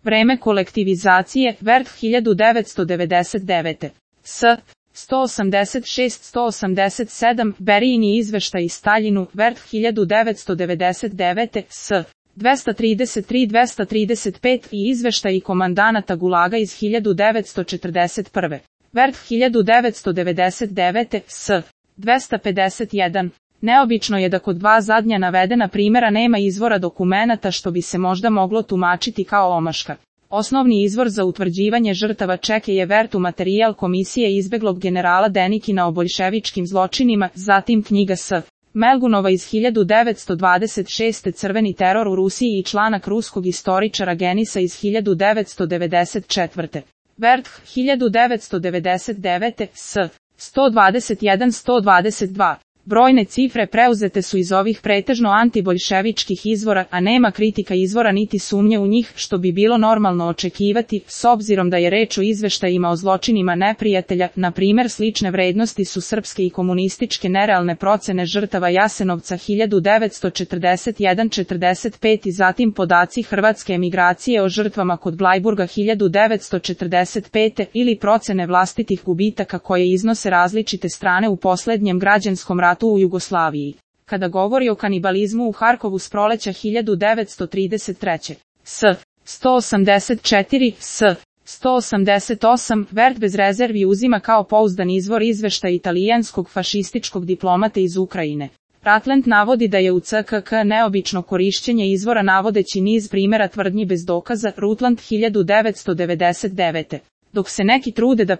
Vreme kolektivizacije, Vert 1999. S. 186-187, Berijini izveštaj iz Staljinu, Vert 1999. S. 233-235 i izveštaji komandanata Gulaga iz 1941. Vert 1999. S. 251. Neobično je da kod dva zadnja navedena primjera nema izvora dokumenata što bi se možda moglo tumačiti kao omaška. Osnovni izvor za utvrđivanje žrtava čeke je Vertu materijal Komisije izbeglog generala Denikina o boljševičkim zločinima, zatim knjiga S. Melgunova iz 1926. Crveni teror u Rusiji i članak ruskog istoričara Genisa iz 1994. Vert 1999. S. 121-122. Brojne cifre preuzete su iz ovih pretežno antiboljševičkih izvora, a nema kritika izvora niti sumnje u njih, što bi bilo normalno očekivati, s obzirom da je reč o izveštajima o zločinima neprijatelja. Na primjer, slične vrednosti su srpske i komunističke nerealne procene žrtava Jasenovca 1941-45 i zatim podaci hrvatske emigracije o žrtvama kod Blajburga 1945 ili procene vlastitih gubitaka koje iznose različite strane u poslednjem građanskom ratu u Jugoslaviji. Kada govori o kanibalizmu u Harkovu s proleća 1933. S. 184, S. 188, Vert bez rezervi uzima kao pouzdan izvor izveštaj italijanskog fašističkog diplomate iz Ukrajine. Ratland navodi da je u CKK neobično korišćenje izvora navodeći niz primjera tvrdnji bez dokaza, Rutland 1999. Dok se neki trude da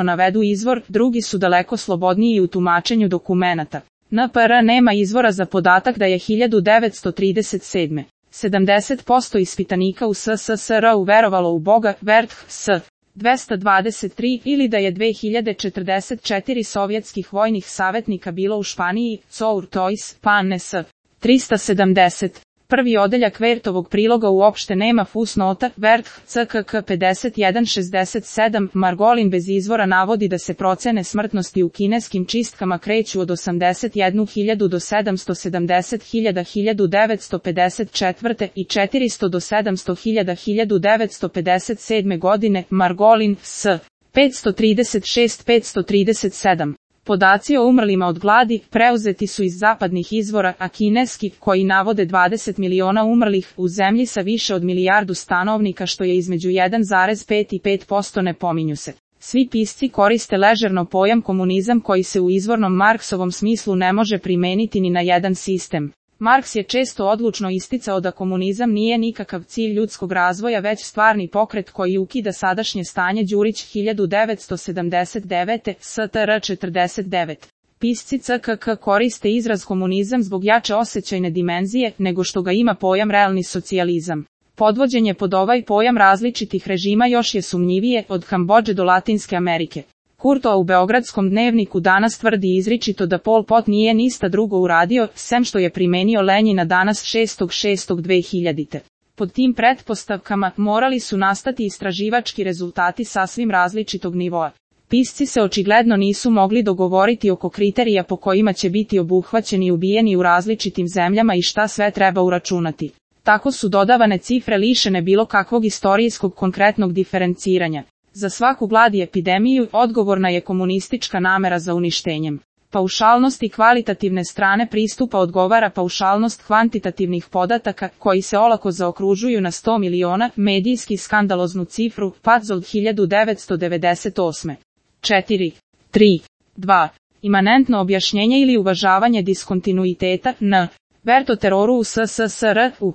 navedu izvor, drugi su daleko slobodniji u tumačenju dokumenata. NPR nema izvora za podatak da je 1937. 70% ispitanika u SSSR uverovalo u Boga, Vert S. 223, ili da je 2044 sovjetskih vojnih savjetnika bilo u Španiji, Cour Tois, Panne S. 370. Prvi odeljak Vertovog priloga uopšte nema fusnota, Vert, CKK 5167, Margolin bez izvora navodi da se procene smrtnosti u kineskim čistkama kreću od 81.000 do 770.000 1954. i 400 do 700.000 1957. godine, Margolin, S. 536-537. Podaci o umrlima od gladi preuzeti su iz zapadnih izvora, a kineski, koji navode 20 miliona umrlih u zemlji sa više od milijardu stanovnika, što je između 1,5 i 5%, ne pominju se. Svi pisci koriste ležerno pojam komunizam koji se u izvornom Marksovom smislu ne može primeniti ni na jedan sistem. Marks je često odlučno isticao da komunizam nije nikakav cilj ljudskog razvoja već stvarni pokret koji ukida sadašnje stanje. Đurić 1979, STR 49. Pisci CKK koriste izraz komunizam zbog jače osjećajne dimenzije nego što ga ima pojam realni socijalizam. Podvođenje pod ovaj pojam različitih režima još je sumnjivije, od Kambodže do Latinske Amerike. Kurto u Beogradskom dnevniku danas tvrdi izričito da Pol Pot nije ništa drugo uradio, sem što je primenio Lenjina danas 6.6.2000. Pod tim pretpostavkama morali su nastati istraživački rezultati sasvim različitog nivoa. Pisci se očigledno nisu mogli dogovoriti oko kriterija po kojima će biti obuhvaćeni i ubijeni u različitim zemljama i šta sve treba uračunati. Tako su dodavane cifre lišene bilo kakvog istorijskog konkretnog diferenciranja. Za svaku glad i epidemiju odgovorna je komunistička namera za uništenjem. Paušalnost i kvalitativne strane pristupa odgovara paušalnost kvantitativnih podataka, koji se olako zaokružuju na 100 miliona, medijski skandaloznu cifru, Patzol 1998. 4. 3. 2. Imanentno objašnjenje ili uvažavanje diskontinuiteta, N. Vert o teroru u SSSR, u.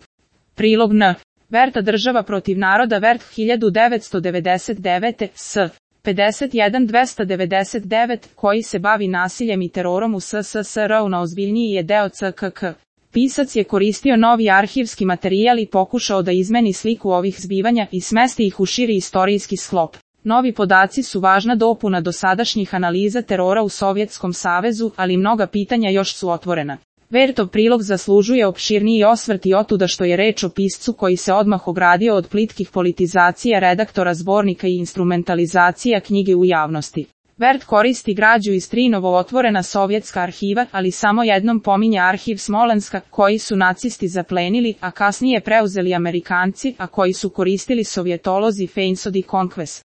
Prilog N. Verta država protiv naroda, Vert 1999, S. 51-299, koji se bavi nasiljem i terorom u SSSR-u na ozbiljniji je deo CKK. Pisac je koristio novi arhivski materijal i pokušao da izmeni sliku ovih zbivanja i smesti ih u širi istorijski sklop. Novi podaci su važna dopuna dosadašnjih analiza terora u Sovjetskom savezu, ali mnoga pitanja još su otvorena. Vertov prilog zaslužuje opširniji osvrt i otuda što je reč o piscu koji se odmah ogradio od plitkih politizacija redaktora zbornika i instrumentalizacija knjige u javnosti. Vert koristi građu iz 3 novootvorena sovjetska arhiva, ali samo jednom pominje arhiv Smolenska, koji su nacisti zaplenili, a kasnije preuzeli Amerikanci, a koji su koristili sovjetolozi Feinsod i Conquest.